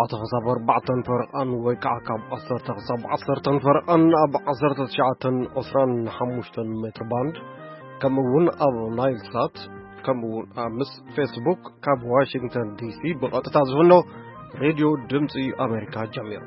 ኣተ ክሳብ ኣርባዕተን ፈረቓን ወይ ከዓ ካብ ዓሰርተ ክሳብ ዓሰርተን ፈረቓን ኣብ ዓሰርተ ትሽዓተን ዕስራን ሓሙሽተን ሜትር ባንድ፣ ከምኡ እውን ኣብ ናይል ሳት፣ ከምኡ እውን ኣብ ምስ ፌስቡክ ካብ ዋሽንግተን ዲሲ ብቐጥታ ዝፍኖ ሬድዮ ድምፂ ኣሜሪካ ጀሚሩ።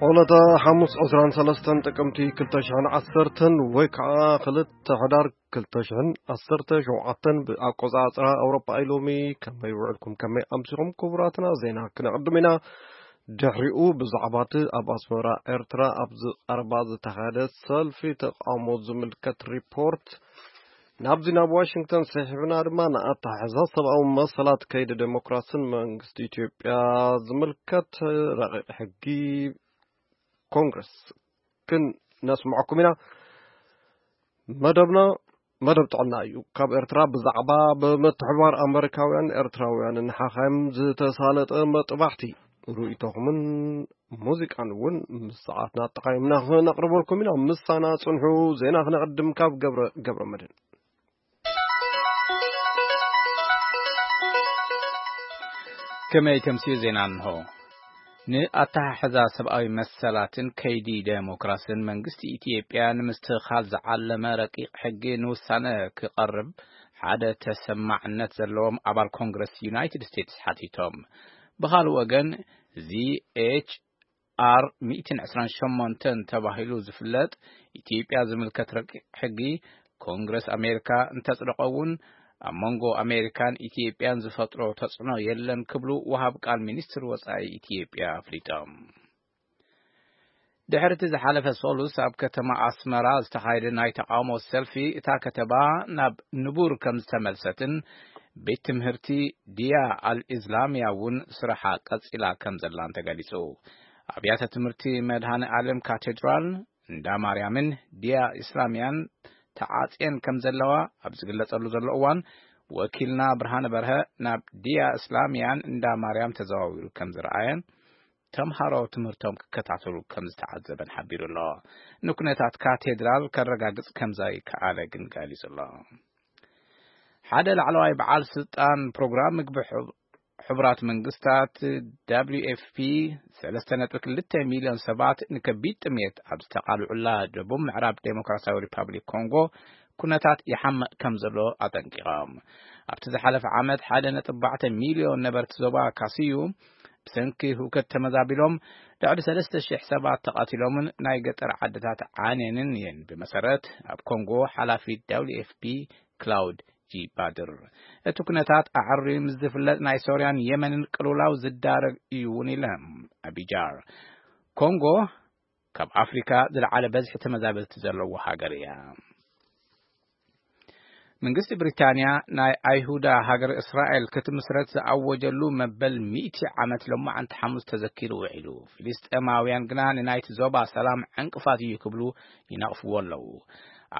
ዕለተ ሓሙስ ዕስራን ሰለስተን ጥቅምቲ ክልተ ሽሕን ዓሰርተን ወይ ከዓ ክልተ ሕዳር ክልተ ሽሕን ዓሰርተ ሸውዓተን ብኣቆጻጽራ ኣውሮፓ ኢሎሚ። ከመይ ውዕልኩም፣ ከመይ ኣምሲኹም ክቡራትና? ዜና ክነቕድም ኢና። ድሕሪኡ ብዛዕባ እቲ ኣብ ኣስመራ ኤርትራ ኣብ ዝቐረባ ዝተኻየደ ሰልፊ ተቃውሞ ዝምልከት ሪፖርት ናብዚ ናብ ዋሽንግተን ስሒብና ድማ ንኣተሓሕዛ ሰብኣዊ መሰላት ከይዲ ዴሞክራስን መንግስቲ ኢትዮጵያ ዝምልከት ረቂቕ ሕጊ ኮንግረስ ክነስምዐኩም ኢና። መደብና መደብ ጥዕና እዩ። ካብ ኤርትራ ብዛዕባ ብምትሕባር ኣመሪካውያን ኤርትራውያንን ሓኻይም ዝተሳለጠ መጥባሕቲ ርእይቶኹምን ሙዚቃን እውን ምስ ሰዓትና ኣጠቓይምና ክነቕርበልኩም ኢና። ምሳና ጽንሑ። ዜና ክነቕድም ካብ ገብረ፣ ገብረ መድህን። ከመይ ተምስዩ ዜና እንሆ። ንኣተሓሕዛ ሰብኣዊ መሰላትን ከይዲ ዴሞክራስን መንግስቲ ኢትዮጵያ ንምስትኽኻል ዝዓለመ ረቂቕ ሕጊ ንውሳነ ክቐርብ ሓደ ተሰማዕነት ዘለዎም ኣባል ኮንግረስ ዩናይትድ ስቴትስ ሓቲቶም። ብኻልእ ወገን፣ ዚኤች ኣር ሚእትን ዕስራን ሸሞንተን ተባሂሉ ዝፍለጥ ኢትዮጵያ ዝምልከት ረቂቕ ሕጊ ኮንግረስ ኣሜሪካ እንተጽደቐ እውን፣ ኣብ መንጎ ኣሜሪካን ኢትዮጵያን ዝፈጥሮ ተጽዕኖ የለን ክብሉ ወሃብ ቃል ሚኒስትር ወጻኢ ኢትዮጵያ ኣፍሊጦም። ድሕሪ እቲ ዝሓለፈ ሰሉስ ኣብ ከተማ ኣስመራ ዝተኻየደ ናይ ተቃውሞ ሰልፊ፣ እታ ከተማ ናብ ንቡር ከም ዝተመልሰትን ቤት ትምህርቲ ዲያ ኣልኢስላምያ እውን ስራሓ ቀጺላ ከም ዘላን ተገሊጹ። ኣብያተ ትምህርቲ መድሃነ ዓለም ካቴድራል እንዳ ማርያምን ዲያ እስላምያን ተዓጽየን ከም ዘለዋ ኣብ ዝግለጸሉ ዘሎ እዋን፣ ወኪልና ብርሃነ በርሀ ናብ ዲያ እስላምያን እንዳ ማርያም ተዘዋዊሩ ከም ዝረኣየን፣ ተምሃሮ ትምህርቶም ክከታተሉ ከም ዝተዓዘበን ሓቢሩ ኣሎ። ንኩነታት ካቴድራል ከረጋግጽ ከም ዘይከኣለ ግን ገሊጹ ኣሎ። ሓደ ላዕለዋይ በዓል ስልጣን ፕሮግራም ምግቢ ሕብ-፣ ሕቡራት መንግስታት፣ ደብሊው ኤፍ ፒ፣ ሰለስተ ነጥቢ ክልተ ሚልዮን ሰባት ንከቢድ ጥሜት ኣብ ዝተቓልዑላ ደቡብ ምዕራብ ዴሞክራሲያዊ ሪፓብሊክ ኮንጎ ኩነታት ይሓምቕ ከም ዘሎ ኣጠንቂቖም። ኣብቲ ዝሓለፈ ዓመት ሓደ ነጥቢ ኣርባዕተ ሚልዮን ነበርቲ ዞባ ካስዩ ብሰንኪ ህውከት ተመዛቢሎም፣ ልዕሊ ሰለስተ ሽሕ ሰባት ተቐቲሎምን ናይ ገጠር ዓድታት ዓንየንን እየን፣ ብመሰረት ኣብ ኮንጎ ሓላፊ ደብሊው ኤፍ ፒ ክላውድ ጂ ባድር። እቲ ኩነታት ኣዕርዩ ምስ ዝፍለጥ፣ ናይ ሶርያን የመንን ቅልውላው ዝዳረግ እዩ እውን ኢሎም። ኣቢጃር፣ ኮንጎ ካብ ኣፍሪካ ዝለዓለ በዝሒ ተመዛበልቲ ዘለዎ ሃገር እያ። መንግስቲ ብሪታንያ ናይ ኣይሁዳ ሃገር እስራኤል ክትምስረት ዝኣወጀሉ መበል ሚእቲ ዓመት ሎማዓንቲ ሓሙስ ተዘኪሩ ውዒሉ። ፍልስጤማውያን ግና ንናይቲ ዞባ ሰላም ዕንቅፋት እዩ ክብሉ ይነቕፍዎ ኣለዉ።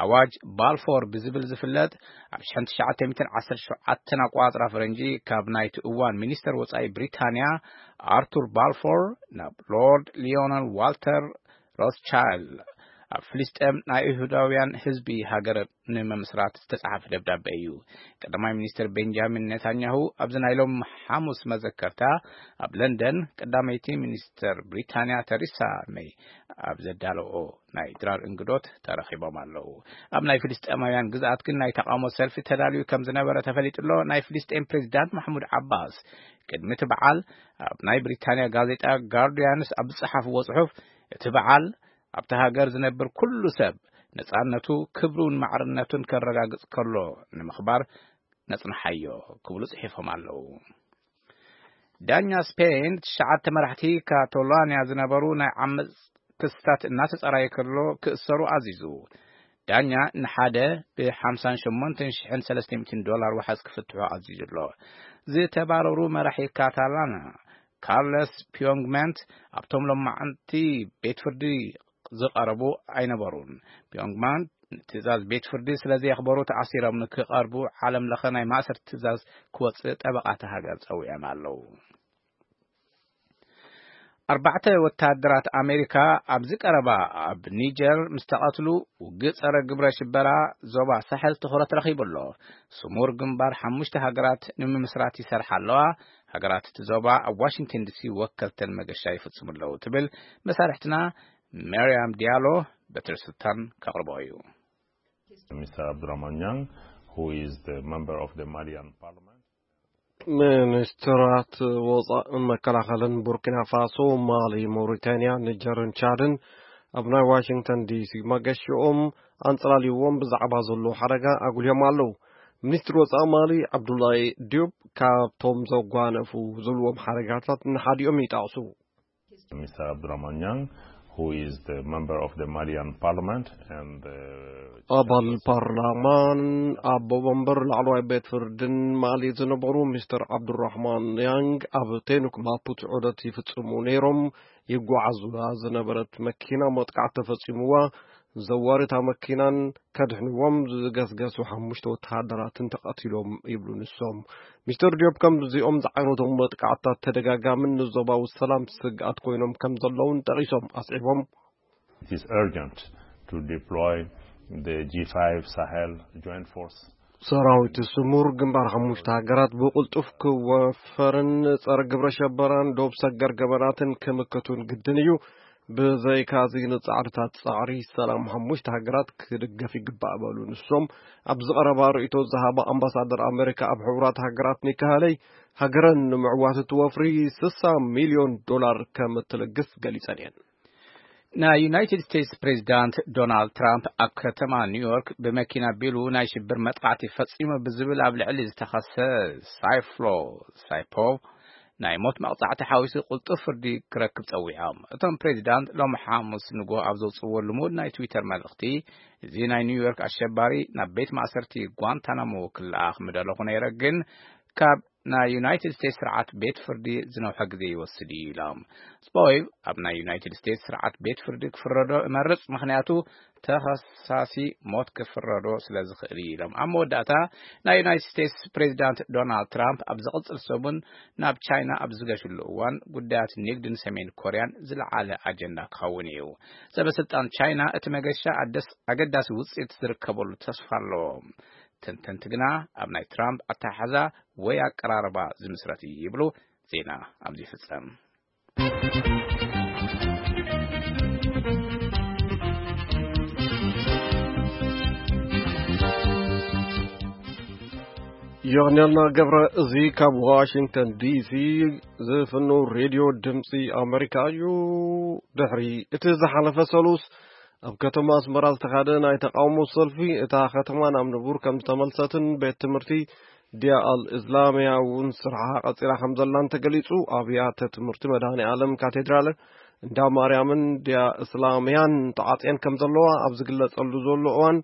ኣዋጅ ባልፎር ብዝብል ዝፍለጥ፣ ኣብ ሽሕን ትሽዓተ ሚእትን ዓሰርተ ሸውዓተን ኣቋጽራ ፈረንጂ ካብ ናይቲ እዋን ሚኒስተር ወጻኢ ብሪታንያ ኣርቱር ባልፎር ናብ ሎርድ ሊዮነል ዋልተር ሮስቻይልድ ኣብ ፍልስጤም ናይ ይሁዳውያን ህዝቢ ሃገር ንምምስራት ዝተጻሕፈ ደብዳቤ እዩ። ቀዳማይ ሚኒስትር ቤንጃሚን ኔታንያሁ ኣብዚ ናይ ሎም ሓሙስ መዘከርታ ኣብ ለንደን ቀዳመይቲ ሚኒስትር ብሪታንያ ተሪሳ ሜይ ኣብ ዘዳለኦ ናይ ድራር እንግዶት ተረኺቦም ኣለዉ። ኣብ ናይ ፍልስጤማውያን ግዝኣት ግን ናይ ተቃውሞ ሰልፊ ተዳልዩ ከም ዝነበረ ተፈሊጡ ኣሎ። ናይ ፍልስጤም ፕሬዚዳንት ማሕሙድ ዓባስ ቅድሚ እቲ በዓል ኣብ ናይ ብሪታንያ ጋዜጣ ጋርዲያንስ ኣብ ዝጸሓፍዎ ጽሑፍ፣ እቲ በዓል ኣብቲ ሃገር ዝነብር ኩሉ ሰብ ነጻነቱ፣ ክብሩን ማዕርነቱን ከረጋግጽ ከሎ ንምኽባር ነጽንሓዮ ክብሉ ጽሒፎም ኣለዉ። ዳኛ ስፔን ትሽዓተ መራሕቲ ካቶላንያ ዝነበሩ ናይ ዓመጽ ክስታት እናተጸራየ ከሎ ክእሰሩ ኣዚዙ። ዳኛ ንሓደ ብ ሓምሳን ሸሞንተን ሽሕን ሰለስተ ሚእትን ዶላር ዋሕስ ክፍትሑ ኣዚዙ ኣሎ። ዝተባረሩ መራሒ ካታላና ካርለስ ፒዮንግመንት ኣብቶም ሎማዓንቲ ቤት ፍርዲ ዝቐረቡ ኣይነበሩን። ፒዮንግመንት ትእዛዝ ቤት ፍርዲ ስለ ዘየኽበሩ ተኣሲሮም ንክቐርቡ ዓለም ለኸ ናይ ማእሰርቲ ትእዛዝ ክወፅእ ጠበቓ እታ ሃገር ጸዊዖም ኣለዉ። ኣርባዕተ ወታደራት ኣሜሪካ ኣብዚ ቀረባ ኣብ ኒጀር ምስ ተቐትሉ፣ ውግእ ጸረ ግብረ ሽበራ ዞባ ሳሕል ትኹረት ረኺቡ ኣሎ። ስሙር ግንባር ሓሙሽተ ሃገራት ንምምስራት ይሰርሓ ኣለዋ። ሃገራት እቲ ዞባ ኣብ ዋሽንግተን ዲሲ ወከልተን መገሻ ይፍጽሙ ኣለዉ፣ ትብል መሳርሕትና መርያም ዲያሎ። በትር ስልጣን ከቕርቦ እዩ። Mister Abdurrahman Yang, who is the member of the Malian parliament. ሚኒስትራት ወፃእን መከላኸልን ቡርኪና ፋሶ፣ ማሊ፣ ሞሪታንያ፣ ኒጀርን ቻድን ኣብ ናይ ዋሽንግተን ዲሲ መገሽኦም ኣንፀላልይዎም ብዛዕባ ዘሎ ሓደጋ ኣጉልዮም ኣለዉ። ሚኒስትር ወፃኢ ማሊ ዓብዱላይ ዲዩብ ካብቶም ዘጓነፉ ዝብልዎም ሓደጋታት ንሓዲኦም ይጠቕሱ። Mister Abdurrahman Yang, who is the member of the Malian parliament and, uh, ኣባል ፓርላማን ኣቦ ወንበር ላዕለዋይ ቤት ፍርድን ማሊ ዝነበሩ ሚስተር ዓብዱራህማን ያንግ ኣብ ቴኑክ ማፑት ዑደት ይፍጽሙ ነይሮም። ይጓዓዙላ ዝነበረት መኪና መጥቃዕቲ ተፈጺሙዋ። ዘዋሪ እታ መኪናን ከድሕንዎም ዝገስገሱ ሓሙሽተ ወተሃደራትን ተቐቲሎም ይብሉ ንሶም። ሚስተር ዲዮብ ከምዚኦም ዝዓይነቶም መጥቃዕትታት ተደጋጋምን ንዞባዊ ሰላም ስግኣት ኮይኖም ከም ዘለውን ጠቒሶም ኣስዒቦም። It is urgent to deploy the G five Sahel Joint Force. ሰራዊት ስሙር ግንባር ሓሙሽተ ሃገራት ብቕልጡፍ ክወፈርን ጸረ ግብረ ሸበራን ዶብ ሰገር ገበናትን ክምክቱን ግድን እዩ። ብዘይካዚ ንጻዕርታት ጻዕሪ ሰላም ሓሙሽተ ሃገራት ክድገፍ ይግባእ በሉ ንሶም። ኣብዚ ቀረባ ርእይቶ ዝሃባ ኣምባሳደር ኣሜሪካ ኣብ ሕቡራት ሃገራት ኒካ ሃለይ፣ ሃገረን ንምዕዋት እቲ ወፍሪ ስሳ ሚልዮን ዶላር ከም እትልግስ ገሊጸን እየን። ናይ ዩናይትድ ስቴትስ ፕሬዚዳንት ዶናልድ ትራምፕ ኣብ ከተማ ኒውዮርክ ብመኪና ቢሉ ናይ ሽብር መጥቃዕቲ ፈጺሙ ብዝብል ኣብ ልዕሊ ዝተኸሰ ሳይፍሎ ሳይፖቭ ናይ ሞት መቕጻዕቲ ሓዊሱ ቅልጡፍ ፍርዲ ክረክብ ጸዊዖም። እቶም ፕሬዚዳንት ሎም ሓሙስ ንግሆ ኣብ ዘውጽእዎ ልሙድ ናይ ትዊተር መልእኽቲ፣ እዚ ናይ ኒውዮርክ ኣሸባሪ ናብ ቤት ማእሰርቲ ጓንታናሞ ክለኣኽ ምደለኹ ነይረ፣ ግን ካብ ናይ ዩናይትድ ስቴትስ ስርዓት ቤት ፍርዲ ዝነውሐ ግዜ ይወስድ እዩ ኢሎም። ስፖይቭ ኣብ ናይ ዩናይትድ ስቴትስ ስርዓት ቤት ፍርዲ ክፍረዶ እመርጽ፣ ምኽንያቱ ተኸሳሲ ሞት ክፍረዶ ስለ ዝኽእል እዩ ኢሎም። ኣብ መወዳእታ ናይ ዩናይትድ ስቴትስ ፕሬዚዳንት ዶናልድ ትራምፕ ኣብ ዝቕጽል ሰሙን ናብ ቻይና ኣብ ዝገሽሉ እዋን ጉዳያት ንግድን ሰሜን ኮርያን ዝለዓለ ኣጀንዳ ክኸውን እዩ። ሰበ ስልጣን ቻይና እቲ መገሻ ኣደስ-፣ ኣገዳሲ ውጽኢት ዝርከበሉ ተስፋ ኣለዎ። ተንተንቲ ግና ኣብ ናይ ትራምፕ ኣተሓሕዛ ወይ ኣቀራርባ ዝምስረት እዩ ይብሉ። ዜና ኣብዚ ይፍጸም። ዮርኔልና ገብረ እዚ ካብ ዋሽንግተን ዲሲ ዝፍኑ ሬድዮ ድምፂ ኣሜሪካ እዩ። ድሕሪ እቲ ዝሓለፈ ሰሉስ ኣብ ከተማ ኣስመራ ዝተኻደ ናይ ተቃውሞ ሰልፊ፣ እታ ከተማ ናብ ንቡር ከም ዝተመልሰትን ቤት ትምህርቲ ዲያ ኣል እስላምያ እውን ስርሓ ቀፂላ ከም ዘላን ተገሊፁ። ኣብያተ ትምህርቲ መድኃኔ ዓለም ካቴድራል እንዳ ማርያምን ዲያ እስላምያን ተዓፅየን ከም ዘለዋ ኣብ ዝግለጸሉ ዘሎ እዋን፣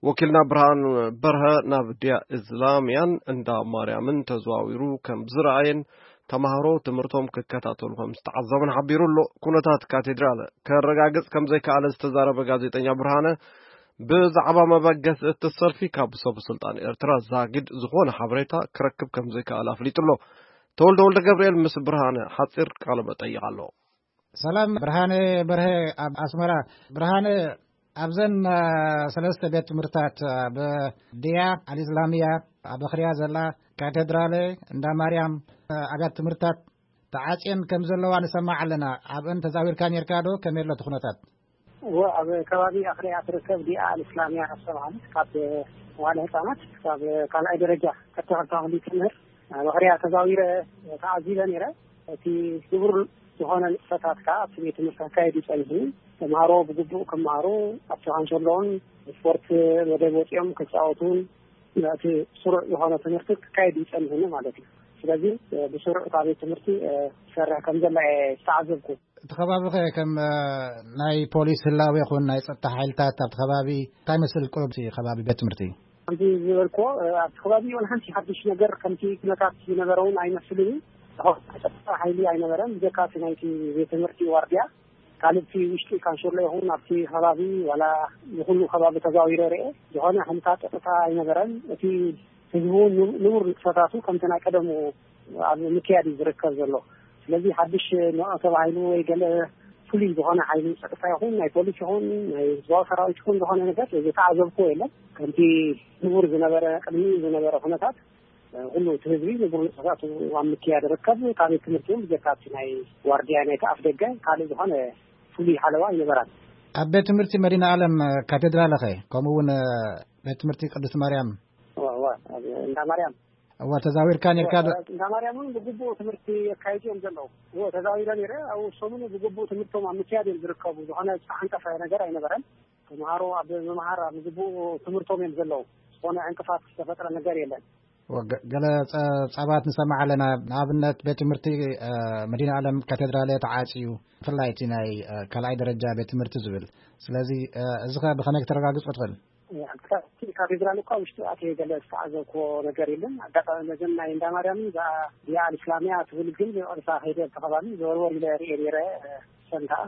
ወኪልና ብርሃን በርሀ ናብ ዲያ እስላምያን እንዳ ማርያምን ተዘዋዊሩ ከም ዝረኣየን ተማሃሮ ትምህርቶም ክከታተሉ ከም ዝተዓዘቡን ሓቢሩ ኣሎ። ኩነታት ካቴድራል ከረጋግጽ ከም ዘይከኣለ ዝተዛረበ ጋዜጠኛ ብርሃነ፣ ብዛዕባ መበገሲ እቲ ሰልፊ ካብ ሰበ ስልጣን ኤርትራ ዛጊድ ዝኾነ ሓበሬታ ክረክብ ከም ዘይከኣለ ኣፍሊጡ ኣሎ። ተወልደ ወልደ ገብርኤል ምስ ብርሃነ ሓጺር ቃለ መጠይቕ ኣሎ። ሰላም ብርሃነ በርሀ ኣብ ኣስመራ። ብርሃነ፣ ኣብዘን፣ አ፣ ሰለስተ ቤት ትምህርታት፣ አ፣ ብድያ ኣልእስላምያ፣ ኣብ ኣኽርያ ዘላ ካቴድራለ፣ እንዳ ማርያም፣ አ፣ ኣብያት ትምህርታት ተዓጽየን ከም ዘለዋ ንሰማዕ ኣለና። ኣብአን ተዛዊርካ ኔርካ ዶ? ከመይ ኣሎ እቲ ኩነታት? እወ፣ ኣብ ከባቢ ኣኽርያ ትርከብ ዲኣ ኣልእስላምያ ዝተባህለት ካብ መዋለ ህጻናት ክሳብ ካልኣይ ደረጃ ቀጥታ ክፍሊ ትምህርት ኣብ ኣኽርያ ተዛዊረ ተዓዚበ ነይረ። እቲ ክቡር ዝኾነ ንጥፈታት ከኣ ኣብቲ ቤት ትምህርቲ ክካየድ እዩ ጸኒሑ። ተምሃሮ ብግቡእ ክመሃሩ፣ ኣብቲ ካንሸሎን ስፖርት መደብ ወጺኦም ክጻወቱን እቲ ስሩዕ ዝኾነ ትምህርቲ ክካየድ እዩ ጸኒሑ ማለት እዩ። ስለዚ ብስሩዕ እታ ቤት ትምህርቲ ትሰርሕ ከም ዘላ እየ ዝተዓዘብኩ። እቲ ከባቢ ኸ ከም፣ እ፣ ናይ ፖሊስ ህላወ ይኹን ናይ ጸጥታ ሓይልታት ኣብቲ ከባቢ እንታይ መስል ቁሩብ እቲ ከባቢ ቤት ትምህርቲ? ከምቲ ዝበልክዎ፣ እ፣ ኣብቲ ከባቢ እውን ሓንቲ ሓድሽ ነገር ከምቲ ኩነታት ዝነበረ እውን ኣይመስልን እዩ። ጸጥታ ሓይሊ ኣይነበረን፣ ብጀካ እቲ ናይቲ ቤት ትምህርቲ ዋርድያ። ካልእ እቲ ውሽጢ ካንሸሎ ይኹን ኣብቲ ከባቢ ዋላ ንኹሉ ከባቢ ተዛዊረ ርኤ፣ ዝኾነ ሓንታ ጸጥታ ኣይነበረን። እቲ ህዝቢ እውን ንቡ-፣ ንቡር ንጥፈታቱ ከምቲ ናይ ቀደሙ ኣብ ምክያድ እዩ ዝርከብ ዘሎ። ስለዚ ሓድሽ ንዑ ተባሂሉ ወይ ገለ ፍሉይ ዝኾነ ሓይሊ ጸጥታ ይኹን ናይ ፖሊስ ይኹን ናይ ህዝባዊ ሰራዊት ይኹን ዝኾነ ነገር ዝተዓዘብኩዎ የለን። ከምቲ ንቡር ዝነበረ፣ ቅድሚ ዝነበረ ኩነታት፣ ኩሉ እቲ ህዝቢ ንቡር ንጥፈታቱ ኣብ ምክያድ ይርከብ። ካብ ቤት ትምህርቲ እውን ብጀካ እቲ ናይ ዋርድያ ናይቲ ኣፍ ደገ ካልእ ዝኾነ ፍሉይ ሓለዋ ኣይነበራን። ኣብ ቤት ትምህርቲ መዲና ዓለም ካቴድራል ኸ? ከምኡ እውን ቤት ትምህርቲ ቅድስት ማርያም? እዋ፣ እዋ፣ ኣብ እንዳ ማርያም። እዋ፣ ተዛዊርካ ነርካ ዶ? እንዳ ማርያም እውን ብግቡእ ትምህርቲ የካይዱ እዮም ዘለዉ። እዎ፣ ተዛዊረ ነይረ። ኣብ ሰሙኑ ብግቡእ ትምህርቶም ኣብ ምክያድ እዮም ዝርከቡ። ዝኾነ ዝተዓንቀፈ ነገር ኣይነበረን። ተምሃሮ ኣብ ምምሃር ኣብ ዝግቡእ ትምህርቶም እዮም ዘለዉ። ዝኾነ ዕንቅፋት ዝተፈጥረ ነገር የለን። ወገ-፣ ገለ ጸ-፣ ጸባት ንሰማዕ ኣለና። ንኣብነት ቤት ትምህርቲ፣ እ፣ መዲና ዓለም ካቴድራል ተዓጽዩ፣ ብፍላይ እቲ ናይ፣ እ፣ ካልኣይ ደረጃ ቤት ትምህርቲ ዝብል። ስለዚ፣ እ፣ እዚ ኸ ብኸመይ ክተረጋግጾ ትኽእል? እ፣ ኣብ ካቴድራል እኳ ውሽጢ ኣትየ ገለ ዝተዓዘብክዎ ነገር የለን። ኣጋጣሚ ነዘን ናይ እንዳ ማርያምን እዛ ዲያ ኣልእስላምያ ትብል ግን ብቐጥታ ከይደ ኣብቲ ከባቢ ዘወርወር ኢለ ርእየ ነይረ። እ፣ ሰን ከኣ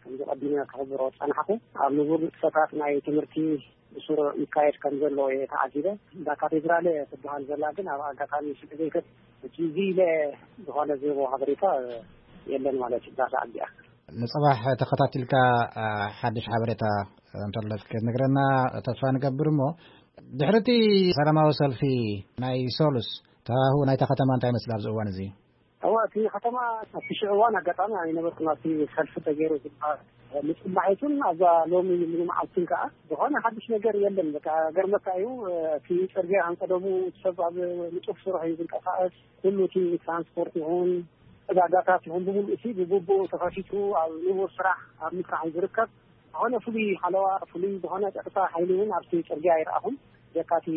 ከምዚ ቀዲመ ክኽብሮ ጸናሕኩ። ኣብ ንቡር ንጥፈታት ናይ ትምህርቲ ብስሩዕ ይካየድ ከም ዘሎ እየ ተዓዚበ። እንዳ ካቴድራል ትበሃል ዘላ ግን ኣብ ኣጋጣሚ ስለ ዘይከድ፣ ሕጂ እዚ ኢለ ዝኾነ ዝህቦ ሓበሬታ የለን ማለት እዩ። እዛ ሰዓት እዚኣ። ንጽባሕ ተኸታቲልካ፣ አ፣ ሓድሽ ሓበሬታ እንተለፍ ክትነግረና ተስፋ ንገብር። እሞ ድሕሪ እቲ ሰላማዊ ሰልፊ ናይ ሶሉስ፣ ተሃሁ ናይታ ከተማ እንታይ ይመስል ኣብዚ እዋን እዚ? እወ፣ እቲ ከተማ ኣብቲ ሽዑ እዋን ኣጋጣሚ ኣይነበርኩን፣ ኣብቲ ሰልፊ ተገይሩ ዝበሃል። ንጽባሒቱን ኣብዛ ሎሚ ሙሉ መዓልትን ከኣ ዝኾነ ሓድሽ ነገር የለን። በቃ ገርመካ እዩ፣ እቲ ጽርግያ ከም ቀደሙ ሰብ ኣብ ንጡፍ ስራሕ እዩ ዝንቀሳቐስ። ኩሉ እቲ ትራንስፖርት ይኹን ዕዳጋታት ይኹን ብምሉእ እቲ ብግቡእ ተኸፊቱ ኣብ ንቡር ስራሕ ኣብ ምስራሕ እዩ ዝርከብ። ዝኾነ ፍሉይ ሓለዋ፣ ፍሉይ ዝኾነ ጸጥታ ሓይሊ እውን ኣብቲ ጽርግያ ኣይረኣኹን። ብጀካ እቲ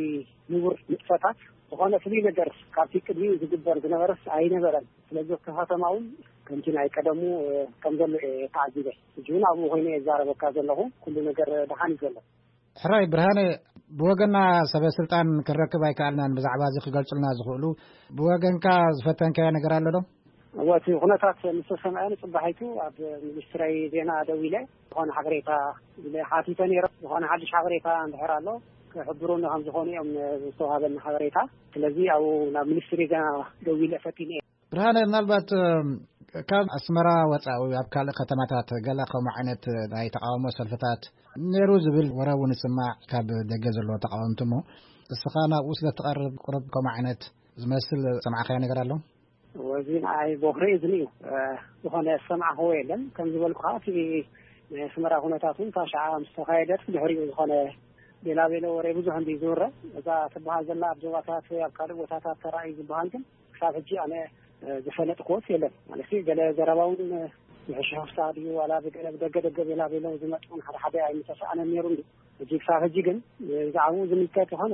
ንቡር ንጥፈታት ዝኾነ ፍሉይ ነገር ካብቲ ቅድሚኡ ዝግበር ዝነበረስ ኣይነበረን። ስለዚ እቲ ከተማ እውን ከምቲ ናይ ቀደሙ፣ እ፣ ከም ዘሎ እየ ተዓዚበ። ሕጂ እውን ኣብኡ ኮይነ እየ ዝዛረበካ ዘለኹ። ኩሉ ነገር ደሓን እዩ ዘሎ። ሕራይ ብርሃነ፣ ብወገና ሰበ ስልጣን ክንረክብ ኣይከኣልናን ብዛዕባ እዚ ክገልጹልና ዝኽእሉ። ብወገንካ ዝፈተንካዮ ነገር ኣሎ ዶ? እወ፣ እቲ ኩነታት ምስ ተሰምዐ ንጽባሒቱ ኣብ ሚኒስትረይ ዜና ደዊለ ዝኾነ ሓበሬታ ኢለ ሓቲተ ነይረ። ዝኾነ ሓድሽ ሓበሬታ እንድሕር ኣሎ ክሕብሩኒ ከም ዝኾኑ እዮም ዝተዋሃበኒ ሓበሬታ። ስለዚ ኣብኡ ናብ ሚኒስትሪ ዜና ደዊለ ፈቲነ እየ። ብርሃነ፣ ምናልባት፣ እም፣ ካብ ኣስመራ ወጻኢ ወይ ኣብ ካልእ ከተማታት ገለ ከምኡ ዓይነት ናይ ተቃውሞ ሰልፍታት ነይሩ ዝብል ወረ እውን ይስማዕ ካብ ደገ ዘለዎ ተቃወምቲ። እሞ እስኻ ናብኡ ስለ እትቐርብ ቁሩብ ከምኡ ዓይነት ዝመስል ዝሰማዕካዮ ነገር ኣሎ? እዚ ንዓይ ቦኽሪ እዩ ዝንዩ። እ፣ ዝኾነ ዝሰማዕክዎ የለን። ከም ዝበልኩኻ እቲ ናይ ኣስመራ ኩነታት እውን እታ ሸዓ ምስ ተኻየደት ብድሕሪኡ ዝኾነ ቤላ ቤሎ ወረ ብዙሕ እንዲ ዝውረ። እዛ ትበሃል ዘላ ኣብ ዞባታት ወይ ኣብ ካልእ ቦታታት ተራእዩ ዝበሃል ግን ክሳብ ሕጂ ኣነ፣ እ፣ ዝፈለጥክዎስ የለን። ማለት ገለ ዘረባ እውን፣ እ፣ ምሕሽሕፍታ ድዩ ዋላ ብገለ ብደገ ደገ ቤላ ቤሎ ዝመጽ እውን ሓደ ሓደ ኣይምተሰኣነን ነይሩ እንዲ። ሕጂ ክሳብ ሕጂ ግን ብዛዕባኡ ዝምልከት ዝኾነ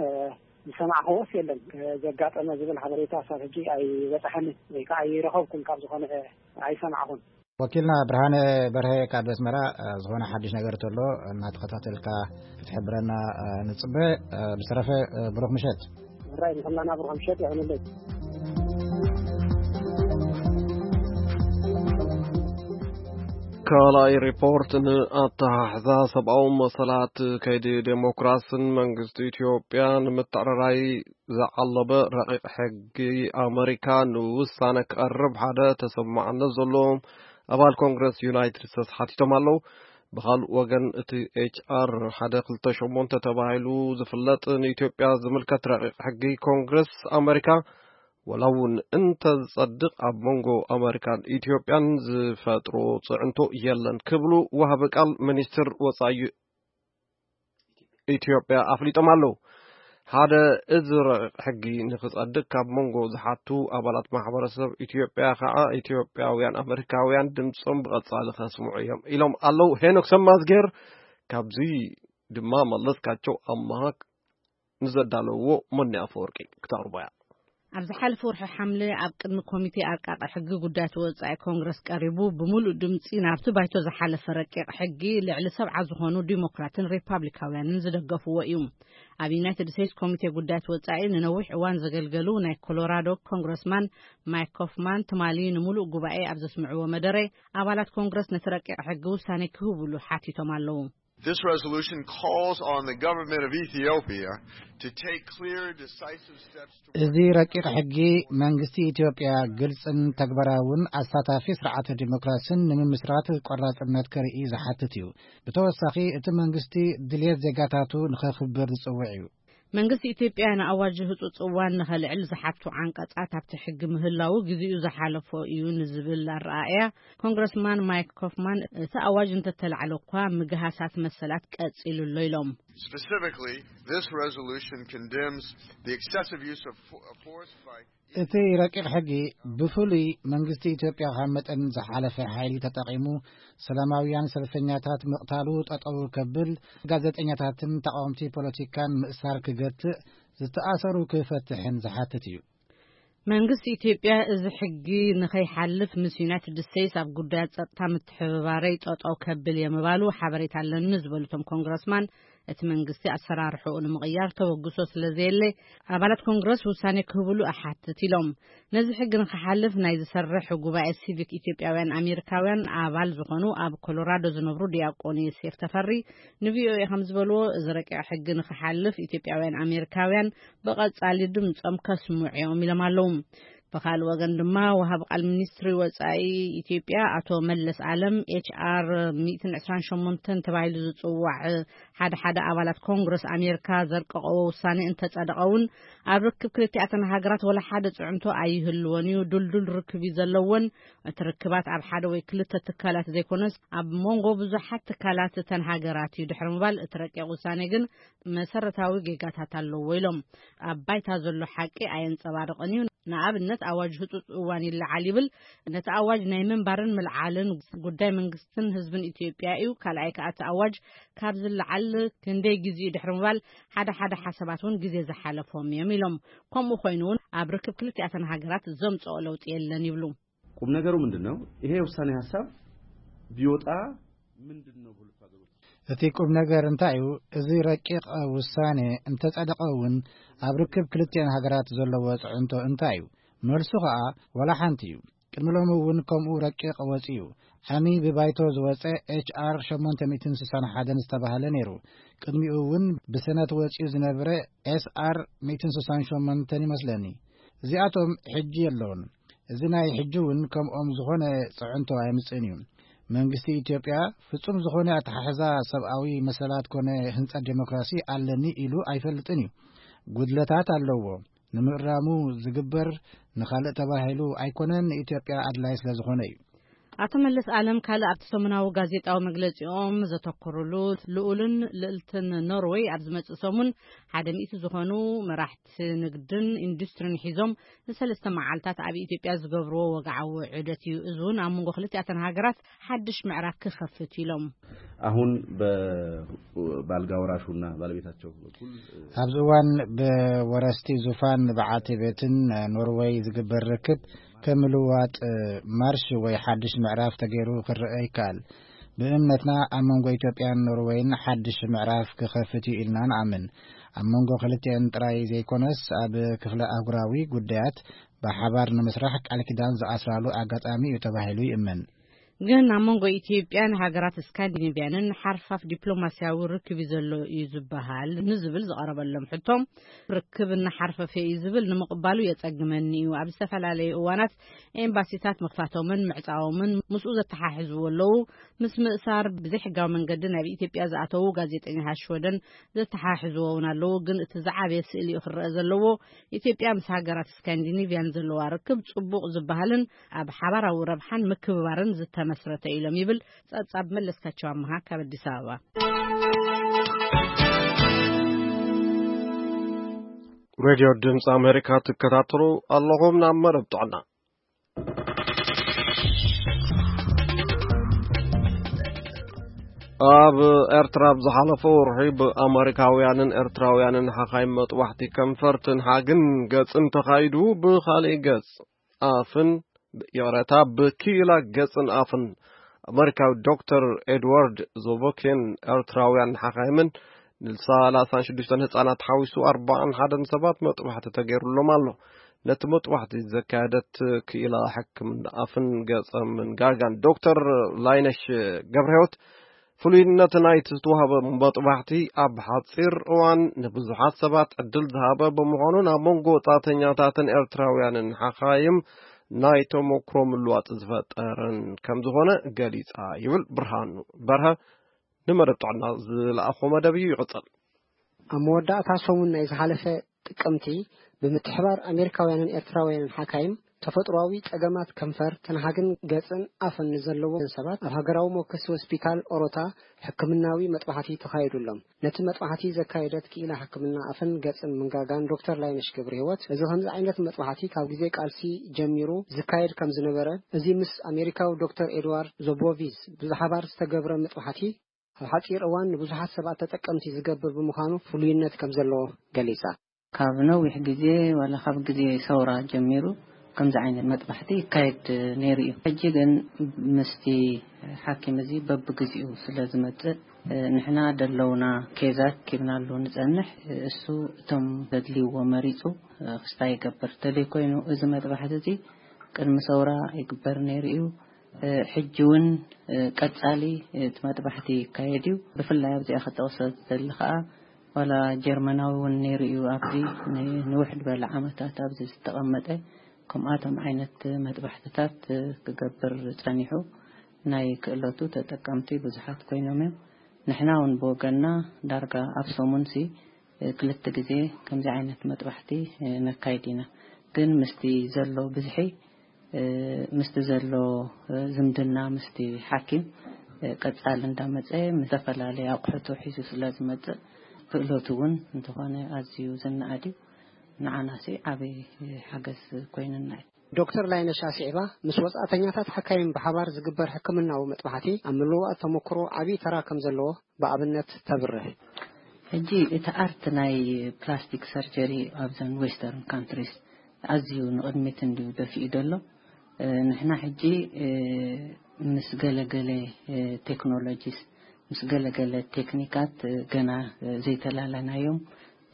ዝሰማዕኽዎስ የለን። ዘጋጠመ ዝብል ሓበሬታ ክሳብ ሕጂ ኣይበጽሐንን ወይ ከዓ ኣይረኸብኩን፣ ካብ ዝኾነ ኣይሰማዕኹን። ወኪልና ብርሃነ በርሀ ካብ ኣስመራ፣ እ፣ ዝኾነ ሓድሽ ነገር ተሎ እናተኸታተልካ ክትሕብረና፣ እ፣ ንጽበ። እ፣ ብዝተረፈ፣ እ፣ ብሩኽ ምሸት። ሕራይ ንኹላና ብሩኽ ምሸት ይኹንለይ። ካልኣይ ሪፖርት፣ ንኣተሓሕዛ ሰብኣዊ መሰላት ከይዲ ዴሞክራስን መንግስቲ ኢትዮጵያ ንምትዕርራይ ዝዓለመ ረቂቕ ሕጊ ኣመሪካ ንውሳነ ክቐርብ ሓደ ተሰማዕነት ዘለዎም ኣባል ኮንግረስ ዩናይትድ ስቴትስ ሓቲቶም ኣለዉ። ብኻልእ ወገን፣ እቲ ኤች ኣር ሓደ ክልተ ሸሞንተ ተባሂሉ ዝፍለጥ ንኢትዮጵያ ዝምልከት ረቂቕ ሕጊ ኮንግረስ ኣመሪካ ወላ እውን እንተ ዝጸድቕ፣ ኣብ መንጎ ኣመሪካን ኢትዮጵያን ዝፈጥሮ ጽዕንቶ የለን ክብሉ ወሃቢ ቃል ሚኒስትር ወጻኢ ኢትዮጵያ ኣፍሊጦም ኣለዉ። ሓደ እዚ ረቂቕ ሕጊ ንኽጸድቕ ካብ መንጎ ዝሓቱ ኣባላት ማሕበረሰብ ኢትዮጵያ ኸዓ፣ ኢትዮጵያውያን ኣመሪካውያን ድምጾም ብቐጻሊ ከስምዑ እዮም ኢሎም ኣለዉ። ሄኖክ ሰማዝጌር ካብዚ ድማ መለስካቸው ኣማሃ ንዘዳለውዎ ሞኒ ኣፈወርቂ ክተቕርቦ እያ። ኣብ ዝሓለፈ ወርሒ ሓምለ ኣብ ቅድሚ ኮሚቴ ኣርቃቂ ሕጊ ጉዳያት ወጻኢ ኮንግረስ ቀሪቡ፣ ብምሉእ ድምጺ ናብቲ ባይቶ ዝሓለፈ ረቂቕ ሕጊ ልዕሊ ሰብዓ ዝኾኑ ዲሞክራትን ሪፓብሊካውያንን ዝደገፍዎ እዩ። ኣብ ዩናይትድ ስቴትስ ኮሚቴ ጉዳያት ወጻኢ ንነዊሕ እዋን ዘገልገሉ ናይ ኮሎራዶ ኮንግረስማን ማይክ ኮፍማን ትማሊ ንምሉእ ጉባኤ ኣብ ዘስምዕዎ መደረ፣ ኣባላት ኮንግረስ ነቲ ረቂቕ ሕጊ ውሳኔ ክህብሉ ሓቲቶም ኣለዉ። This resolution calls on the government of Ethiopia to take clear, decisive steps to እዚ ረቂቕ ሕጊ መንግስቲ ኢትዮጵያ ግልጽን ተግባራውን ኣሳታፊ ስርዓተ ዲሞክራሲን ንምምስራት ቆራጽነት ከርኢ ዝሓትት እዩ። ብተወሳኺ እቲ መንግስቲ ድልየት ዜጋታቱ ንኸኽብር ዝጽውዕ እዩ። መንግስቲ ኢትዮጵያ ንኣዋጅ ህጹጽ እዋን ንኸልዕል ዝሓቱ ዓንቀጻት ኣብቲ ሕጊ ምህላዉ ግዜኡ ዝሓለፎ እዩ ንዝብል ኣረኣእያ ኮንግረስማን ማይክ ኮፍማን፣ እቲ ኣዋጅ እንተተላዕለ እኳ ምግሃሳት መሰላት ቀጺሉ ኣሎ ኢሎም። Specifically, this resolution condemns the excessive use of fo- of force by እቲ ረቂቕ ሕጊ ብፍሉይ መንግስቲ ኢትዮጵያ ካብ መጠን ዝሓለፈ ሓይሊ ተጠቒሙ ሰላማውያን ሰልፈኛታት ምቕታሉ ጠጠው ከብል፣ ጋዜጠኛታትን ተቓወምቲ ፖለቲካን ምእሳር ክገትእ፣ ዝተኣሰሩ ክፈትሕን ዝሓትት እዩ። መንግስቲ ኢትዮጵያ እዚ ሕጊ ንኸይሓልፍ ምስ ዩናይትድ ስቴትስ ኣብ ጉዳያት ጸጥታ ምትሕብባረይ ጠጠው ከብል እየ ምባሉ ሓበሬታ ኣለኒ ዝበሉ እቶም ኮንግረስማን፣ እቲ መንግስቲ ኣሰራርሕኡ ንምቕያር ተበግሶ ስለ ዘየለ ኣባላት ኮንግረስ ውሳኔ ክህብሉ እሓትት ኢሎም። ነዚ ሕጊ ንክሓልፍ ናይ ዝሰርሕ ጉባኤ ሲቪክ ኢትዮጵያውያን ኣሜሪካውያን ኣባል ዝኾኑ ኣብ ኮሎራዶ ዝነብሩ ዲያቆን ዮሴፍ ተፈሪ ንቪኦኤ ከም ዝበልዎ፣ እዚ ረቂቕ ሕጊ ንክሓልፍ ኢትዮጵያውያን ኣሜሪካውያን ብቐጻሊ ድምጾም ከስምዑ እዮም ኢሎም ኣለዉ። ብኻልእ ወገን ድማ ወሃብ ቃል ሚኒስትሪ ወጻኢ ኢትዮጵያ ኣቶ መለስ ኣለም ኤች ኣር ሚእትን ዕስራን ሸሞንተን ተባሂሉ ዝጽዋዕ ሓደ ሓደ ኣባላት ኮንግረስ ኣሜሪካ ዘርቀቐዎ ውሳኔ እንተጸደቐ እውን ኣብ ርክብ ክልቲኣተን ሃገራት ወላ ሓደ ጽዕንቶ ኣይህልዎን እዩ። ዱልዱል ርክብ እዩ ዘለዎን እቲ ርክባት ኣብ ሓደ ወይ ክልተ ትካላት ዘይኮነስ ኣብ መንጎ ብዙሓት ትካላት እተን ሃገራት እዩ ድሕሪ ምባል እቲ ረቂቕ ውሳኔ ግን መሰረታዊ ጌጋታት ኣለዎ ኢሎም። ኣብ ባይታ ዘሎ ሓቂ ኣየንጸባርቕን እዩ። ንኣብነት ኣዋጅ ህጹጽ እዋን ይለዓል ይብል። ነቲ ኣዋጅ ናይ ምንባርን ምልዓልን ጉዳይ መንግስትን ህዝብን ኢትዮጵያ እዩ። ካልኣይ ከኣ እቲ ኣዋጅ ካብ ዝለዓል ክንደይ ግዜ ድሕሪ ምባል ሓደ ሓደ ሓሳባት እውን ግዜ ዝሓለፎም እዮም ኢሎም። ከምኡ ኮይኑ እውን ኣብ ርክብ ክልቲኣተን ሃገራት ዘምጽኦ ለውጢ የለን ይብሉ። ቁም ነገሩ ምንድን ነው? ይሄ የውሳኔ ሀሳብ ቢወጣ ምንድን ነው በሁለቱ ሀገሮች? እቲ ቁም ነገር እንታይ እዩ? እዚ ረቂቕ ውሳኔ እንተጸደቐ እውን ኣብ ርክብ ክልቲአን ሃገራት ዘለዎ ጽዕንቶ እንታይ እዩ? መልሱ ኸኣ ዋላ ሓንቲ እዩ። ቅድሚ ሎሚ እውን ከምኡ ረቂቕ ወጺኡ። ዓሚ ብባይቶ ዝወጸ ኤች ኣር ሸሞንተ ሚእትን ስሳን ሓደን ዝተባህለ ነይሩ። ቅድሚኡ እውን ብሰነት ወጺኡ ዝነበረ ኤስ ኣር ሚእትን ስሳን ሸሞንተን ይመስለኒ። እዚኣቶም ሕጂ የለውን። እዚ ናይ ሕጂ እውን ከምኦም ዝኾነ ጽዕንቶ ኣየምጽእን እዩ። መንግስቲ ኢትዮጵያ ፍጹም ዝኾነ ኣተሓሕዛ ሰብኣዊ መሰላት ኮነ ህንጸት ዴሞክራሲ ኣለኒ ኢሉ ኣይፈልጥን እዩ። ጉድለታት ኣለዎ። ንምእራሙ ዝግበር ንኻልእ ተባሂሉ ኣይኮነን፣ ንኢትዮጵያ ኣድላይ ስለ ዝኾነ እዩ። ኣቶ መለስ ኣለም ካልእ ኣብቲ ሰሙናዊ ጋዜጣዊ መግለጺኦም ዘተኮሩሉ፣ ልኡልን ልእልትን ኖርወይ ኣብ ዝመጽእ ሰሙን ሓደ ሚእቲ ዝኾኑ መራሕቲ ንግድን ኢንዱስትሪን ሒዞም ንሰለስተ መዓልታት ኣብ ኢትዮጵያ ዝገብርዎ ወግዓዊ ዑደት እዩ። እዚ እውን ኣብ መንጎ ክልቲኣተን ሃገራት ሓድሽ ምዕራፍ ክኸፍት ኢሎም። አሁን በአልጋ ወራሹና ባለቤታቸው በኩል ኣብዚ እዋን ብወረስቲ ዙፋን በዓልቲ ቤትን ኖርወይ ዝግበር ርክብ ከም ምልዋጥ ማርሽ ወይ ሓድሽ ምዕራፍ ተገይሩ ክረአ ይከኣል። ብእምነትና ኣብ መንጎ ኢትዮጵያን ኖርወይን ሓድሽ ምዕራፍ ክኸፍት እዩ ኢልና ንኣምን። ኣብ መንጎ ክልቲአን ጥራይ ዘይኮነስ ኣብ ክፍለ ኣህጉራዊ ጉዳያት ብሓባር ንምስራሕ ቃል ኪዳን ዝኣስራሉ ኣጋጣሚ እዩ ተባሂሉ ይእመን። ግን ኣብ መንጎ ኢትዮጵያን ሃገራት ስካንዲኔቭያንን ሓርፋፍ ዲፕሎማስያዊ ርክብ እዩ ዘሎ እዩ ዝበሃል ንዝብል ዝቐረበሎም ሕቶ፣ ርክብ እናሓርፈፈ እዩ ዝብል ንምቕባሉ የጸግመኒ እዩ። ኣብ ዝተፈላለዩ እዋናት ኤምባሲታት ምኽፋቶምን ምዕጻዎምን ምስኡ ዘተሓሕዝዎ ኣለዉ። ምስ ምእሳር ብዘይሕጋዊ መንገዲ ናብ ኢትዮጵያ ዝኣተዉ ጋዜጠኛታት ሽወደን ዘተሓሕዝዎ እውን ኣለዉ። ግን እቲ ዝዓበየ ስእሊ እዩ ክረአ ዘለዎ። ኢትዮጵያ ምስ ሃገራት ስካንዲኔቭያን ዘለዋ ርክብ ጽቡቕ ዝበሃልን ኣብ ሓባራዊ ረብሓን ምክብባርን ዝተመስረተ ኢሎም ይብል ጸብጻብ መለስካቸው ኣመሃ ካብ ኣዲስ ኣበባ። ሬድዮ ድምፂ ኣሜሪካ ትከታተሉ ኣለኹም። ናብ መደብ ጥዕና። ኣብ ኤርትራ ኣብ ዝሓለፈ ወርሒ ብኣመሪካውያንን ኤርትራውያንን ሓኻይም መጥባሕቲ ከንፈር፣ ትንሓግን ገጽን ተኻይዱ፣ ብኻልእ ገጽ ኣፍን፣ ይቕረታ፣ ብክኢላ ገጽን ኣፍን ኣመሪካዊ ዶክተር ኤድዋርድ ዞቦኬን ኤርትራውያን ሓኻይምን ንሰላሳን ሽዱሽተን ህጻናት ሓዊሱ ኣርባዓን ሓደን ሰባት መጥባሕቲ ተገይሩሎም ኣሎ። ነቲ መጥባሕቲ ዘካየደት ክኢላ ሕክምና ኣፍን ገጸምን ጋጋን ዶክተር ላይነሽ ገብረህይወት ፍሉይነት ናይቲ ዝተዋህበ መጥባሕቲ ኣብ ሓጺር እዋን ንብዙሓት ሰባት ዕድል ዝሃበ ብምዃኑ፣ ኣብ መንጎ ወጻእተኛታትን ኤርትራውያንን ሓኻይም ናይ ተመክሮ ምልዋጥ ዝፈጠረን ከም ዝኾነ ገሊጻ ይብል። ብርሃኑ በርሀ ንመደብ ጥዕና ዝለኣኾ መደብ እዩ። ይቕጽል። ኣብ መወዳእታ ሰሙን ናይ ዝሓለፈ ጥቅምቲ፣ ብምትሕባር ኣሜሪካውያንን ኤርትራውያንን ሓካይም፣ ተፈጥሮኣዊ ጸገማት ከንፈር፣ ትንሃግን ገጽን ኣፍን ንዘለዎም ሰባት ኣብ ሃገራዊ መወከሲ ሆስፒታል ኦሮታ ሕክምናዊ መጥባሕቲ ተኻይዱሎም። ነቲ መጥባሕቲ ዘካየደት ክኢላ ሕክምና ኣፍን ገጽን ምንጋጋን ዶክተር ላይነሽ ገብረ ህይወት፣ እዚ ከምዚ ዓይነት መጥባሕቲ ካብ ግዜ ቃልሲ ጀሚሩ ዝካየድ ከም ዝነበረ፣ እዚ ምስ ኣሜሪካዊ ዶክተር ኤድዋርድ ዞቦቪዝ ብሓባር ዝተገብረ መጥባሕቲ ኣብ ሓጺር እዋን ንብዙሓት ሰባት ተጠቀምቲ ዝገብር ብምዃኑ ፍሉይነት ከም ዘለዎ ገሊጻ። ካብ ነዊሕ ግዜ፣ ዋላ ካብ ግዜ ሰውራ ጀሚሩ፣ ከምዚ ዓይነት መጥባሕቲ ይካየድ ነይሩ እዩ። ሕጂ ግን ምስቲ ሓኪም እዚ በብግዚኡ ስለ ዝመጽእ፣ ንሕና ደለውና ኬዛት ኪብናሉ ንጸንሕ። እሱ እቶም ዘድልይዎ መሪጹ ክስታይ ይገብር። ተለይ ኮይኑ፣ እዚ መጥባሕቲ እዚ ቅድሚ ሰውራ ይግበር ነይሩ እዩ። ሕጂ እውን ቀጻሊ እቲ መጥባሕቲ ይካየድ እዩ። ብፍላይ ኣብዚኣ ክጠቕሶ ዝደሊ ከኣ፣ ዋላ ጀርመናዊ እውን ነይሩ እዩ ኣብዚ ን-፣ ንውሕ ዝበለ ዓመታት ኣብዚ ዝተቐመጠ፣ ከምኣቶም ዓይነት መጥባሕትታት ክገብር ጸኒሑ፣ ናይ ክእለቱ ተጠቀምቲ ብዙሓት ኮይኖም እዮም። ንሕና እውን ብወገንና ዳርጋ ኣብ ሰሙንሲ ክልተ ግዜ ከምዚ ዓይነት መጥባሕቲ ነካይድ ኢና። ግን ምስቲ ዘሎ ብዝሒ፣ ምስቲ ዘሎ ዝምድና ምስቲ ሓኪም ቀጻሊ እንዳመጸ፣ ምስ ዝተፈላለየ ኣቑሑቱ ሒዙ ስለ ዝመጽእ፣ ክእለቱ እውን እንተኾነ ኣዝዩ ዝነኣድ እዩ። ንዓናሲ ዓቢ ሓገዝ ኮይንና እዩ። ዶክተር ላይነሽ ኣስዒባ፣ ምስ ወጻእተኛታት ሓካይም ብሓባር ዝግበር ሕክምናዊ መጥባሕቲ ኣብ ምልውዋጥ ተመክሮ ዓቢ ተራ ከም ዘለዎ ብኣብነት ተብርህ። ሕጂ እቲ ኣርት ናይ ፕላስቲክ ሰርጀሪ ኣብዘን ዌስተርን ካንትሪስ ኣዝዩ ንቕድሚት እንድዩ ደፊኡ ዘሎ። እ፣ ንሕና ሕጂ፣ እ፣ ምስ ገለገለ፣ እ፣ ቴክኖሎጂስ፣ ምስ ገለገለ ቴክኒካት፣ እ፣ ገና፣ እ፣ ዘይተላለናዮም፣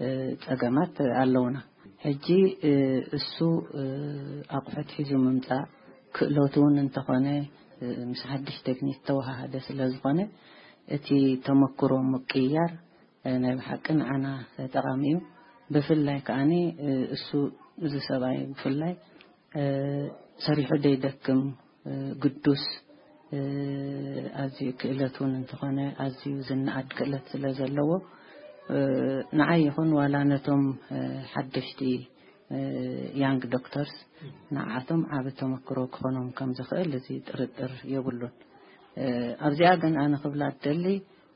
እ፣ ጸገማት ኣለውና። ሕጂ፣ እ፣ እሱ፣ እ፣ ኣቑሑት ሒዙ ምምጻእ ክእለቱ እውን እንተኾነ፣ እ፣ ምስ ሓድሽ ቴክኒክ ተወሃሃደ ስለ ዝኾነ፣ እቲ ተመክሮ ምቅይያር፣ እ፣ ናይ ብሓቂ ንዓና ጠቓሚ እዩ። ብፍላይ ከኣኒ፣ እ፣ እሱ፣ እዚ ሰብኣይ ብፍላይ፣ እ፣ ሰሪሑ ደይደክም፣ እ፣ ግዱስ፣ እ፣ ኣዝዩ ክእለት እውን እንተኾነ፣ ኣዝዩ ዝነኣድ ክእለት ስለ ዘለዎ፣ እ፣ ንዓይ ይኹን ዋላ ነቶም፣ እ፣ ሓደሽቲ፣ እ፣ ያንግ ዶክተርስ፣ ንዓኣቶም ዓቢ ተመክሮ ክኾኖም ከም ዝኽእል እዚ ጥርጥር የብሉን። እ፣ ኣብዚኣ ግን ኣነ ክብላ እደሊ፣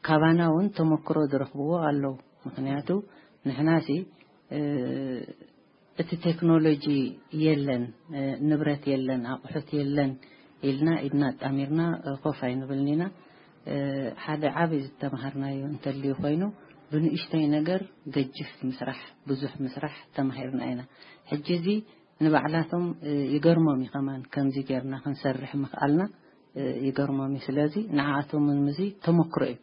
ካባና እውን ተመክሮ ዝረኽብዎ ኣለዉ። ምኽንያቱ ንሕናሲ፣ እ፣ እቲ ቴክኖሎጂ የለን፣ እ፣ ንብረት የለን፣ ኣቑሑት የለን ኢልና ኢድና ኣጣሚርና፣ እ፣ ኮፍ ኣይንብልን ኢና። እ፣ ሓደ ዓቢ ዝተምሃርናዮ እንተልዩ ኮይኑ፣ ብንእሽተይ ነገር ገጅፍ ምስራሕ፣ ብዙሕ ምስራሕ ተማሂርና ኢና። ሕጂ እዚ ንባዕላቶም፣ እ፣ ይገርሞም እዩ ከማን፣ ከምዚ ጌርና ክንሰርሕ ምኽኣልና፣ እ፣ ይገርሞም እዩ። ስለዚ ንዓኣቶም እውን እዚ ተመክሮ እዩ።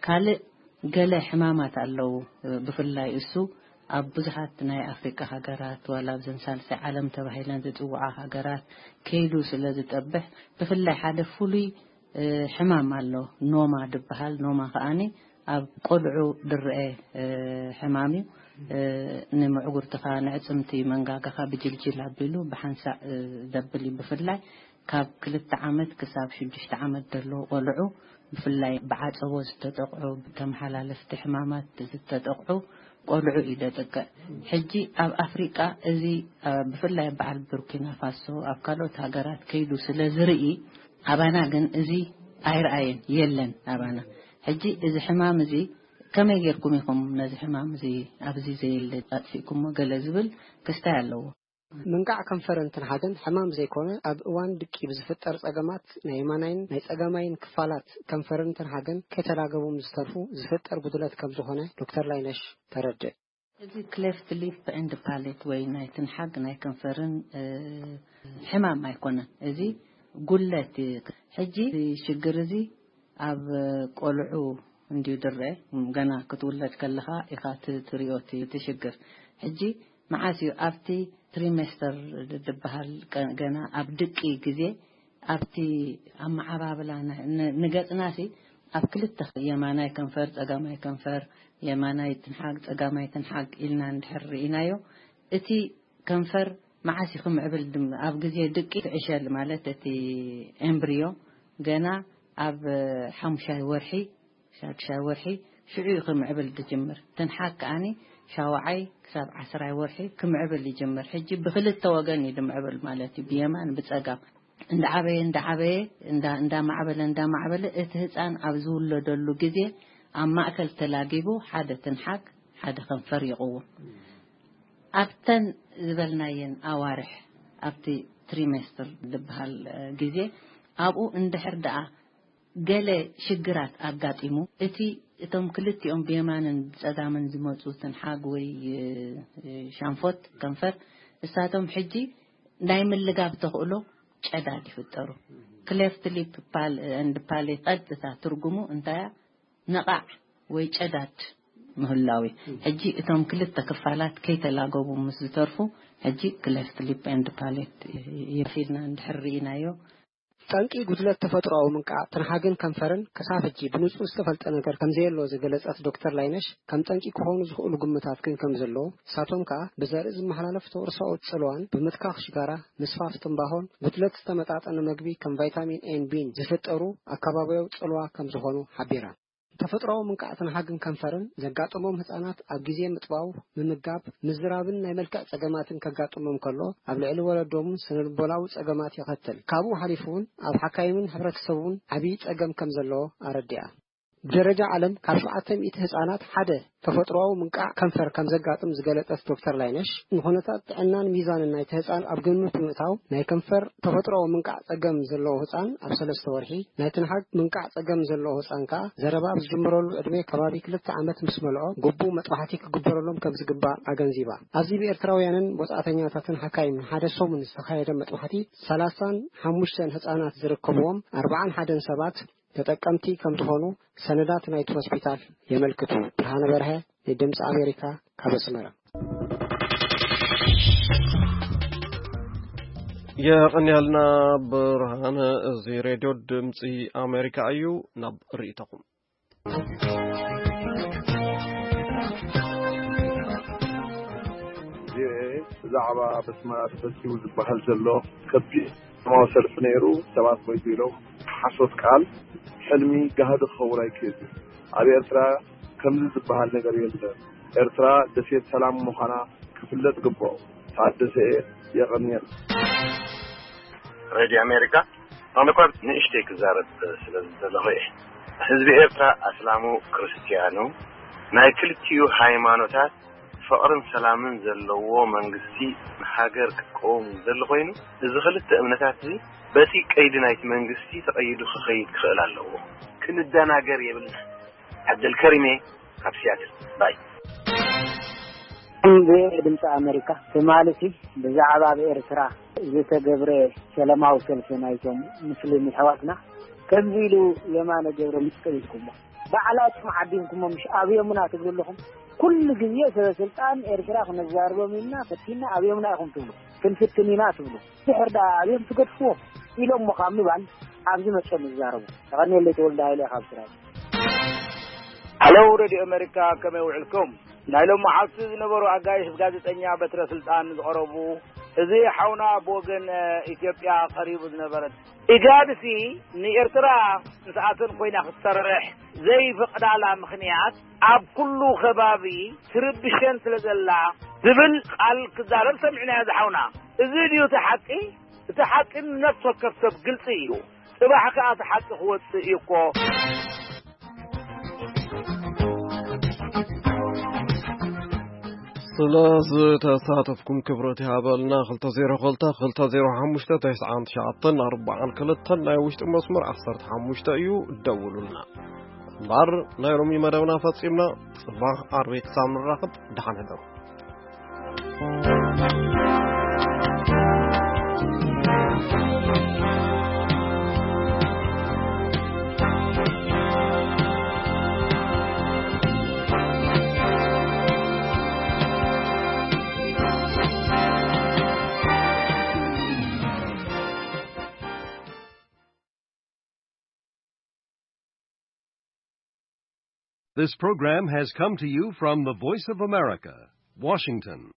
ካልእ ገለ ሕማማት ኣለዉ፣ እ፣ ብፍላይ እሱ ኣብ ብዙሓት ናይ ኣፍሪቃ ሃገራት፣ ዋላ ኣብዘን ሳልሳይ ዓለም ተባሂለን ዝጽውዓ ሃገራት ከይዱ ስለ ዝጠብሕ፣ ብፍላይ ሓደ ፍሉይ፣ እ፣ ሕማም ኣሎ፣ ኖማ ድበሃል። ኖማ ከኣኒ ኣብ ቆልዑ ድረአ፣ እ፣ ሕማም እዩ። እ፣ ንምዕጉርትኻ፣ ንዕጽምቲ መንጋጋኻ ብጅልጅል ኣቢሉ ብሓንሳእ፣ እ፣ ዘብል እዩ። ብፍላይ ካብ ክልተ ዓመት ክሳብ ሽዱሽተ ዓመት ዘለዉ ቆልዑ፣ ብፍላይ ብዓጸቦ ዝተጠቕዑ፣ ብተመሓላለፍቲ ሕማማት ዝተጠቕዑ ቆልዑ እዩ ዘጥቅዕ። ሕጂ ኣብ ኣፍሪቃ እዚ፣ እ፣ ብፍላይ በዓል ቡርኪና ፋሶ፣ ኣብ ካልኦት ሃገራት ከይዱ ስለ ዝርኢ፣ ኣባና ግን እዚ ኣይረኣየን፣ የለን ኣባና። ሕጂ እዚ ሕማም እዚ ከመይ ጌርኩም ኢኹም ነዚ ሕማም እዚ ኣብዚ ዘየለ ኣጥፊእኩሞ? ገለ ዝብል ክስታይ ኣለዎ። ምንቃዕ ከንፈርን ትንሓግን ሕማም ዘይኮነ፣ ኣብ እዋን ድቂ ብዝፍጠር ጸገማት ናይ የማናይን ናይ ጸጋማይን ክፋላት ከንፈርን ትንሓግን ከይተላገቡ ምስ ዝተርፉ ዝፍጠር ጉድለት ከም ዝኾነ ዶክተር ላይነሽ ተረድእ። እዚ ክሌፍት ሊፕ ኤንድ ፓሌት ወይ ናይ ትንሓግ ናይ ከንፈርን፣ እ፣ ሕማም ኣይኮነን። እዚ ጉለት እዩ። ሕጂ እዚ ሽግር እዚ ኣብ ቆልዑ እንድዩ ድረአ፣ ገና ክትውለድ ከለኻ ኢኻ ት-፣ ትሪኦ እቲ፣ እቲ ሽግር። ሕጂ መዓስ እዩ ኣብቲ ትሪሜስተር ድ-፣ ድበሃል ቀ-፣ ገና ኣብ ድቂ ግዜ ኣብቲ ኣመዓባብላ ን-፣ ን-፣ ንገጽናሲ ኣብ ክልተ፣ የማናይ ከንፈር፣ ጸጋማይ ከንፈር፣ የማናይ ትንሓግ፣ ጸጋማይ ትንሓግ ኢልና እንድሕር ርኢናዮ፣ እቲ ከንፈር መዓስ እዩ ክምዕብል ድም-፣ ኣብ ግዜ ድቂ፣ እቲ ዕሸል ማለት እቲ ኤምብርዮ ገና ኣብ ሓሙሻይ ወርሒ፣ ሻድሻይ ወርሒ ሽዑ እዩ ክምዕብል ዝጅምር። ትንሓግ ከኣኒ ሻውዓይ ክሳብ ዓስራይ ወርሒ ክምዕብል ይጅምር። ሕጂ ብክልተ ወገን እዩ ዝምዕብል ማለት እዩ፣ ብየማን ብጸጋም። እንዳዓበየ፣ እንዳዓበየ፣ እንዳ-፣ እንዳማዕበለ፣ እንዳማዕበለ፣ እቲ ህጻን ኣብ ዝውለደሉ ግዜ ኣብ ማእከል ተላጊቡ ሓደ ትንሓግ፣ ሓደ ከንፈር ይቕውም። ኣብተን ዝበልናየን ኣዋርሕ፣ ኣብቲ ትሪሜስትር ዝበሃል፣ እ፣ ግዜ፣ ኣብኡ እንድሕር ደኣ ገለ ሽግራት ኣጋጢሙ፣ እቲ፣ እቶም ክልቲኦም ብየማንን ብጸጋምን ዝመጹ ትንሓግ ወይ፣ እ፣ ሻንፎት ከንፈር፣ እሳቶም ሕጂ ናይ ምልጋብ ተኽእሎ ጨዳድ ይፍጠሩ። ክሌፍት ሊፕ ፓል-፣ ኤንድ ፓሌት ቀጥታ ትርጉሙ እንታይ እያ? ነቓዕ ወይ ጨዳድ ምህላው እዩ። ሕጂ እቶም ክልተ ክፋላት ከይተላገቡ ምስ ዝተርፉ፣ ሕጂ ክሌፍት ሊፕ ኤንድ ፓሌት ይፊልና እንድሕር ርኢናዮ። ጠንቂ ጉድለት ተፈጥሮኣዊ ምንቃዕ ትንሓግን ከንፈርን ክሳብ ሕጂ ብንጹር ዝተፈልጠ ነገር ከም ዘየሎ ዝገለጸት ዶክተር ላይነሽ፣ ከም ጠንቂ ክኾኑ ዝኽእሉ ግምታት ግን ከም ዘለዉ፣ ንሳቶም ከኣ ብዘርኢ ዝመሓላለፍ ተወርሳኦ ጽልዋን ብምትካኽ ሽጋራ፣ ምስፋፍ ትምባሆን ጉድለት ዝተመጣጠነ መግቢ ከም ቫይታሚን ኤን ቢን ዝፍጠሩ ኣከባብያዊ ጽልዋ ከም ዝኾኑ ሓቢራ። ተፈጥሮኣዊ ምንቃዕ ትንሓግን ከንፈርን ዘጋጥሞም ህጻናት ኣብ ግዜ ምጥባው፣ ምምጋብ፣ ምዝራብን ናይ መልክዕ ጸገማትን ከጋጥሞም ከሎ፣ ኣብ ልዕሊ ወለዶምን ስነልቦናዊ ጸገማት የኸትል። ካብኡ ሓሊፉ እውን ኣብ ሓካይምን ሕብረተሰብ እውን ዓብዪ ጸገም ከም ዘለዎ ኣረዲኣ። ብደረጃ ዓለም ካብ ሸውዓተ ሚእቲ ህጻናት ሓደ ተፈጥሮኣዊ ምንቃዕ ከንፈር ከም ዘጋጥም ዝገለጸት ዶክተር ላይነሽ፣ ንኹነታት ጥዕናን ሚዛንን ናይቲ ህጻን ኣብ ግምት ብምእታው፣ ናይ ከንፈር ተፈጥሮኣዊ ምንቃዕ ጸገም ዘለዎ ህጻን ኣብ ሰለስተ ወርሒ፣ ናይ ትንሓግ ምንቃዕ ጸገም ዘለዎ ህጻን ከኣ ዘረባ ኣብ ዝጅምረሉ ዕድመ ከባቢ ክልተ ዓመት ምስ መልኦ፣ ግቡእ መጥባሕቲ ክግበረሎም ከም ዝግባእ ኣገንዚባ። ኣብዚ ብኤርትራውያንን ወጻእተኛታትን ሓካይምን ሓደ ሰሙን ዝተኻየደ መጥባሕቲ፣ ሰላሳን ሓሙሽተን ህጻናት ዝርከብዎም ኣርባዓን ሓደን ሰባት ተጠቀምቲ ከም ዝኾኑ ሰነዳት ናይቲ ሆስፒታል የመልክቱ። ብርሃነ በርሀ፣ ንድምፂ ኣሜሪካ፣ ካብ ኣስመራ። የቐንያልና ብርሃነ። እዚ ሬድዮ ድምፂ ኣሜሪካ እዩ። ናብ ርእይቶኹም። ቪኦኤ ብዛዕባ ኣብ ኣስመራ ተፈጺሙ ዝበሃል ዘሎ ከቢድ ሰላማዊ ሰልፊ ነይሩ፣ ሰባት ሞይቱ ኢሎም ሓሶት ቃል፣ ሕልሚ ጋህዲ ክኸውን ኣይክእልን። ኣብ ኤርትራ ከምዚ ዝበሃል ነገር የለን። ኤርትራ ደሴት ሰላም ምዃና ክፍለጥ ግብኦ። ታደሰ እየ፣ የቐንየልና። ሬድዮ ኣሜሪካ፣ ኣነ እኳ ንእሽተይ ክዛረብ ስለ ዝደለኹ እየ። ህዝቢ ኤርትራ ኣስላሙ ክርስትያኑ ናይ ክልቲኡ ሃይማኖታት ፍቕርን ሰላምን ዘለዎ መንግስቲ ንሃገር ክትቀውም ዝደሊ ኮይኑ፣ እዚ ክልተ እምነታት እዚ በቲ ቀይዲ ናይቲ መንግስቲ ተቐይዱ ክኸይድ ክኽእል ኣለዎ። ክንደናገር የብልና። ዓብደልከሪም እየ ካብ ሲያትል። ባይ። ቪኦኤ ድምፂ ኣሜሪካ፣ ትማሊ እቲ ብዛዕባ ኣብ ኤርትራ ዝተገብረ ሰላማዊ ሰልፊ ናይቶም ሙስሊም ኣሕዋትና ከምዚ ኢሉ የማነ ገብረ ምስ ቀቢልኩሞ፣ ባዕላትኩም ዓዲምኩሞ ምሽ ኣብዮምና ትብሉ ኣለኹም። ኩሉ ግዜ ሰበ ስልጣን ኤርትራ ክነዛርቦም ኢልና ፈቲና ኣብዮምና ኢኹም ትብሉ፣ ክንፍትን ኢና ትብሉ። ድሕር ደኣ ኣብዮም ትገድፍዎም ኢሎሞ ካብ ምባል ኣብዚ መፅኦም ይዛረቡ። ተቐንየለይ ተወልደ ሃይለ ካብ ስራይ። ሃሎ ሬድዮ ኣሜሪካ፣ ከመይ ውዕልኩም? ናይ ሎሚ መዓልቲ ዝነበሩ ኣጋይሽ ብጋዜጠኛ በትረ ስልጣን ዝቐረቡ፣ እዚ ሓውና ብወገን፣ እ፣ ኢትዮጵያ ቀሪቡ ዝነበረ ኢጋድሲ ንኤርትራ ንስኣተን ኮይና ክትሰርሕ ዘይፈቕዳላ ምኽንያት ኣብ ኩሉ ከባቢ ትርብሸን ስለ ዘላ ዝብል ቃል ክዛረብ ሰሚዕናዮ ዝሓውና። እዚ ድዩ እቲ ሓቂ? እቲ ሓቂ ንነፍሲ ወከፍ ሰብ ግልጺ እዩ። ጽባሕ ከኣ እቲ ሓቂ ክወጽእ እዩ እኮ። ስለ ዝተሳተፍኩም ክብረት ይሃበልና። ክልተ ዜሮ ክልተ፣ ክልተ ዜሮ ሓሙሽተ፣ ተስዓን ትሽዓተን ኣርባዓን ክልተን ናይ ውሽጢ መስመር ዓሰርተ ሓሙሽተ እዩ። ደውሉልና። እምበኣር ናይ ሎሚ መደብና ፈጺምና። ጽባሕ ዓርቢ ክሳብ ንራኸብ ደሓን ሕደሩ። This program has come to you from the Voice of America, Washington.